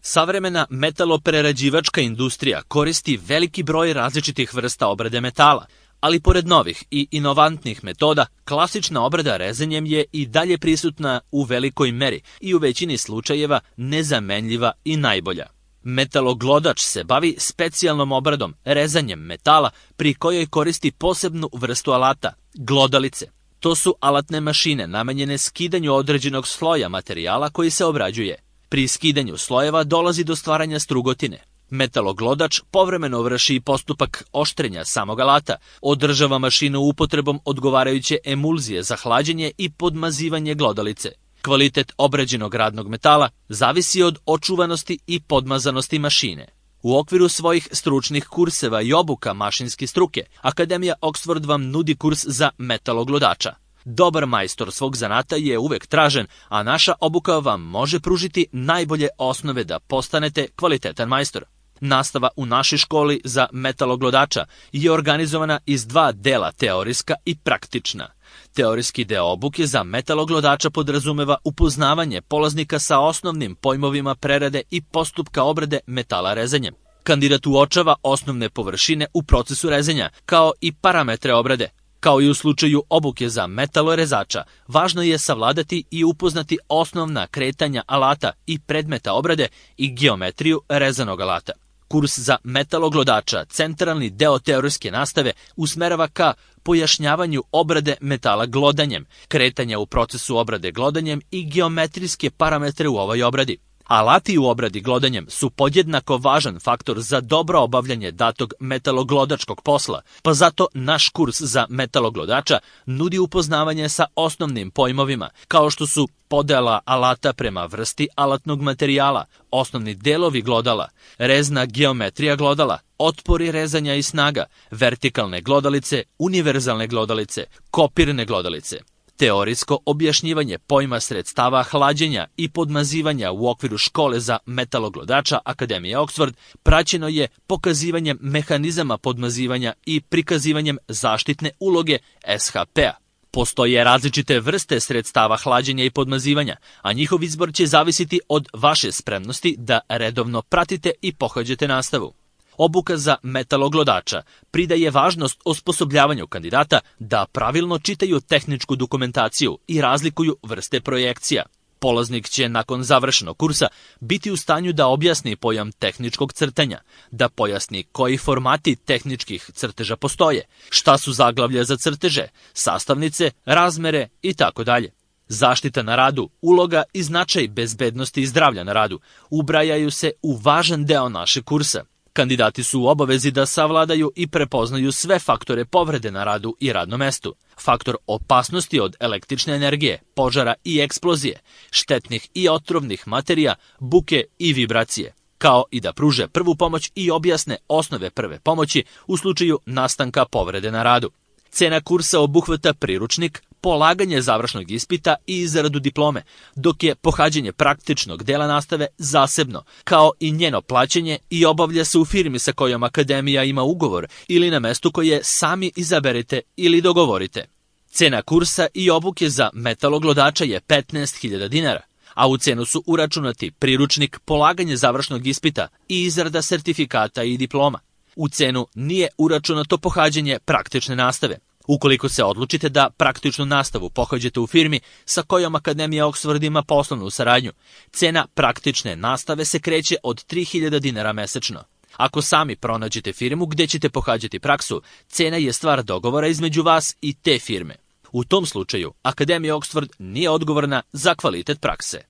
Savremena metaloprerađivačka industrija koristi veliki broj različitih vrsta obrade metala, ali pored novih i inovantnih metoda, klasična obrada rezanjem je i dalje prisutna u velikoj meri i u većini slučajeva nezamenljiva i najbolja. Metaloglodač se bavi specijalnom obradom, rezanjem metala, pri kojoj koristi posebnu vrstu alata, glodalice. To su alatne mašine namenjene skidanju određenog sloja materijala koji se obrađuje. Pri skidanju slojeva dolazi do stvaranja strugotine. Metaloglodač povremeno vrši i postupak oštrenja samog alata, održava mašinu upotrebom odgovarajuće emulzije za hlađenje i podmazivanje glodalice. Kvalitet obrađenog radnog metala zavisi od očuvanosti i podmazanosti mašine. U okviru svojih stručnih kurseva i obuka mašinske struke, Akademija Oxford vam nudi kurs za metaloglodača. Dobar majstor svog zanata je uvek tražen, a naša obuka vam može pružiti najbolje osnove da postanete kvalitetan majstor. Nastava u našoj školi za metaloglodača je organizovana iz dva dela, teorijska i praktična. Teorijski deo obuke za metaloglodača podrazumeva upoznavanje polaznika sa osnovnim pojmovima prerade i postupka obrade metala rezanjem. Kandidat uočava osnovne površine u procesu rezanja, kao i parametre obrade. Kao i u slučaju obuke za metalorezača, važno je savladati i upoznati osnovna kretanja alata i predmeta obrade i geometriju rezanog alata. Kurs za metaloglodača, centralni deo teorijske nastave, usmerava ka pojašnjavanju obrade metala glodanjem, kretanja u procesu obrade glodanjem i geometrijske parametre u ovoj obradi. Alati u obradi glodanjem su podjednako važan faktor za dobro obavljanje datog metaloglodačkog posla, pa zato naš kurs za metaloglodača nudi upoznavanje sa osnovnim pojmovima, kao što su podela alata prema vrsti alatnog materijala, osnovni delovi glodala, rezna geometrija glodala, otpori rezanja i snaga, vertikalne glodalice, univerzalne glodalice, kopirne glodalice. Teorijsko objašnjivanje pojma sredstava hlađenja i podmazivanja u okviru škole za metaloglodača Akademije Oxford praćeno je pokazivanjem mehanizama podmazivanja i prikazivanjem zaštitne uloge SHP-a. Postoje različite vrste sredstava hlađenja i podmazivanja, a njihov izbor će zavisiti od vaše spremnosti da redovno pratite i pohađate nastavu. Obuka za metaloglodača pridaje važnost osposobljavanju kandidata da pravilno čitaju tehničku dokumentaciju i razlikuju vrste projekcija. Polaznik će nakon završenog kursa biti u stanju da objasni pojam tehničkog crtanja, da pojasni koji formati tehničkih crteža postoje, šta su zaglavlja za crteže, sastavnice, razmere itd. Zaštita na radu, uloga i značaj bezbednosti i zdravlja na radu ubrajaju se u važan deo našeg kursa. Kandidati su u obavezi da savladaju i prepoznaju sve faktore povrede na radu i radnom mestu, faktor opasnosti od električne energije, požara i eksplozije, štetnih i otrovnih materija, buke i vibracije, kao i da pruže prvu pomoć i objasne osnove prve pomoći u slučaju nastanka povrede na radu. Cena kursa obuhvata priručnik, polaganje završnog ispita i izradu diplome, dok je pohađanje praktičnog dela nastave zasebno, kao i njeno plaćanje i obavlja se u firmi sa kojom Akademija ima ugovor ili na mestu koje sami izaberete ili dogovorite. Cena kursa i obuke za metaloglodača je 15.000 dinara, a u cenu su uračunati priručnik, polaganje završnog ispita i izrada sertifikata i diploma. U cenu nije uračunato pohađanje praktične nastave. Ukoliko se odlučite da praktičnu nastavu pohađate u firmi sa kojom Akademija Oxford ima poslovnu saradnju, cena praktične nastave se kreće od 3.000 dinara mesečno. Ako sami pronađete firmu gde ćete pohađati praksu, cena je stvar dogovora između vas i te firme. U tom slučaju, Akademija Oxford nije odgovorna za kvalitet prakse.